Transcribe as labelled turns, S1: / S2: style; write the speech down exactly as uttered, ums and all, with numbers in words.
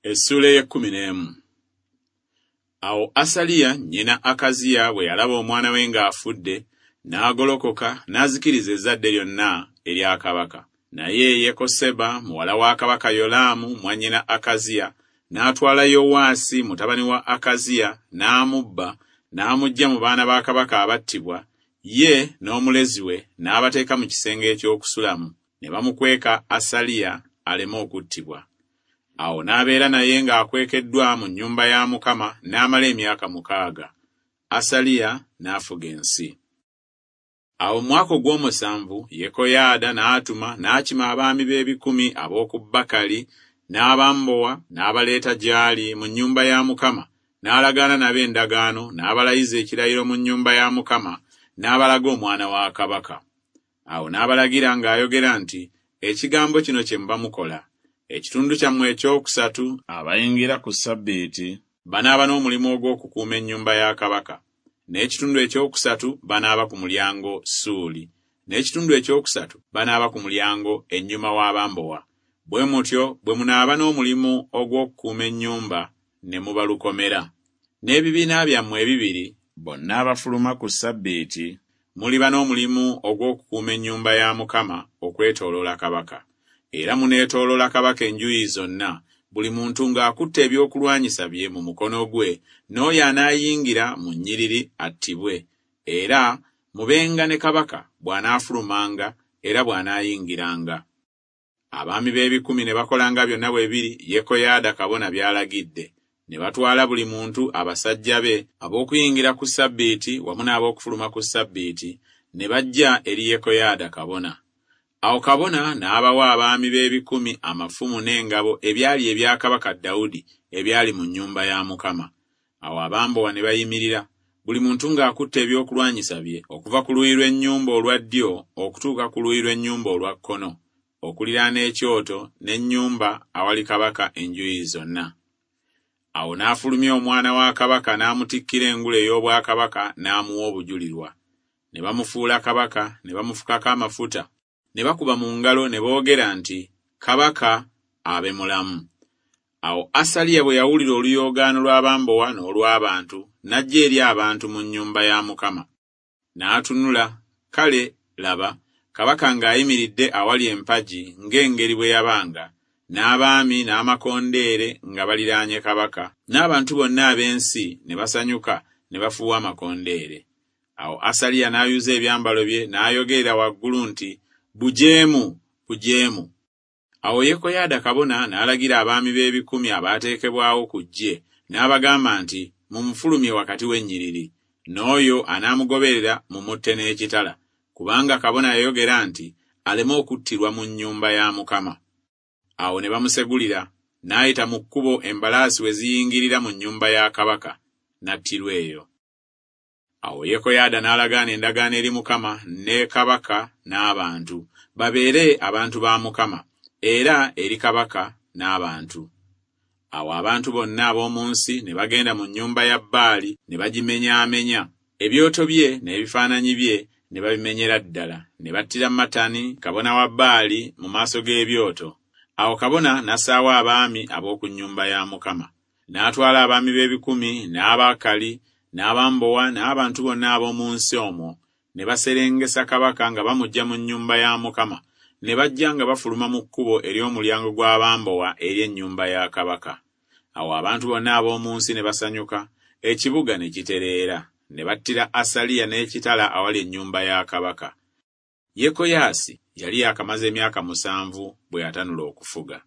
S1: Essuula ey'ekkumi n'emu. Awo Asaliya nnyina Akaziya bwe yalaba omwana we ng'afudde, n'agolokoka n'azikiriza ezzadde lyonna erya kabaka. Naye Yekoseba muwala wa kabaka Yolaamu mwannyina Akaziya n'atwala Yowaasi mutabani wa Akaziya n'amubba n'amuggya mu baana ba kabaka abattibwa, ye n'omulezi we n'abateeka mu kisenge eky'okusulamu, ne bamukweka Asaliya aleme okuttibwa. Awo n'abeera naye ng'akwekeddwa mu nnyumba ya Mukama n'amala emyaka mukaaga. Asaliya n'afuga ensi. Awo mu mwaka ogw'omusanvu Yekoyaada n'atuma n'akima abaami b'ebikumi ab'oku Bakali n'abambowa n'abaleeta gy'ali mu nnyumba ya Mukama, n'alagaana nabo endagaano, n'abalayiza ekirayiro mu nnyumba ya Mukama, n'abalaga omwana wa kabaka. Awo n'abalagira ng'ayogera nti, Ekigambo kino kye muba mukola. Ekitundu kyammwe ekyokusatu abayingira ku ssabbiiti banaaba n'omulimu ogw'okukuuma ennyumba ya kabaka, n'ekitundu ekyokusatu banaaba ku mulyango Suuli, n'ekitundu ekyokusatu banaaba ku mulyango ennyuma w'abambowa. Bwe mutyo bwe munaaba n'omulimu ogw'okukuuma ennyumba ne muba lukomera. N'ebibiina byammwe ebibiri bonna abafuluma ku ssabbiiti muliba n'omulimu ogw'okukuuma ennyumba ya Mukama okwetooloola kabaka. Era muneetooloola kabaka enjuyi zonna, buli muntu ng'akutte ebyokulwanyisa bye mu mukono gwe, n'oyo anaayingira mu nnyiriri attibwe. Era mubenga ne kabaka bw'anaafulumanga era bw'anaayingiranga. Abaami b'ebikumi ne bakolanga byonna bwe biri Yekoyaada kabona by'alagidde. Ne batwala buli muntu abasajja be ab'okuyingira ku ssabbiiti wamu n'ab'okufuluma ku ssabbiiti, ne bajja eri Yekoyaada kabona. Awo kabona n'abawa abaami b'ebikumi amafumu n'engabo ebyali ebya kabaka Dawudi ebyali mu nnyumba ya Mukama. Awo abambowa ne bayimirira, buli muntu ng'akutte ebyokulwanyisa bye, okuva ku luuyi lw'ennyumba olwa ddyo okutuuka ku luuyi lw'ennyumba olwa kkono, okuliraana ekyoto n'ennyumba awali kabaka enjuyi zonna. Awo n'afulumya omwana wa kabaka n'amutikkira engule ey'obwakabaka n'amuwa obujulirwa. Ne bamufuula kabaka, ne bamufukako amafuta, ne bakuba mu ngalo ne boogera nti, Kabaka abe mulamu. Awo Asaliya bwe yawulira oluyoogaano lw'abambowa n'olw'abantu, n'ajja eri abantu mu nnyumba ya Mukama. N'atunula, kale laba, kabaka ng'ayimiridde awali empagi ng'engeri bwe yabanga, n'abaami n'amakondeere nga baliraanye kabaka, n'abantu bonna ab'ensi ne basanyuka ne bafuuwa amakondeere. Awo Asaliya n'ayuza ebyambalo bye n'ayogerera waggulu nti, Bujeemu, bujeemu. Awo Yekoyaada kabona n'alagira abaami b'ebikumi abaateekebwawo ku ggye, n'abagamba nti, Mumufulumye wakati w'ennyiriri, n'oyo anaamugoberera mumutte n'ekitala, kubanga kabona yayogera nti, aleme okuttirwa mu nnyumba ya Mukama. Awo ne bamusegulira, n'ayita mu kkubo embalaasi we ziyingirira mu nnyumba ya kabaka, n'attirwa eyo. Awo Yekoyaada n'alagaana endagaano eri Mukama ne kabaka n'abantu, babeere abantu ba Mukama, era eri kabaka n'abantu. Awo abantu bonna ab'omu nsi ne bagenda mu nnyumba ya Baali ne bagimenyaamenya, ebyoto bye n'ebifaananyi bye ne babimenyera ddala, ne battira Matani kabona wa Baali mu maaso g'ebyoto. Awo kabona n'assaawo abaami ab'oku nnyumba ya Mukama. N'atwala abaami b'ebikumi n'Abakali n'abambowa n'abantu bonna ab'omu nsi omwo, ne baserengesa kabaka nga bamuggya mu nnyumba ya Mukama, ne bajja nga bafuluma mu kkubo ery'omulyango gw'abambowa eri ennyumba ya kabaka. Awo abantu bonna ab'omu nsi ne basanyuka, ekibuga ne kitereera, ne battira Asaliya n'ekitala awali ennyumba ya kabaka. Yekoyaasi yali yaakamaze emyaka musanvu bwe yatanula okufuga.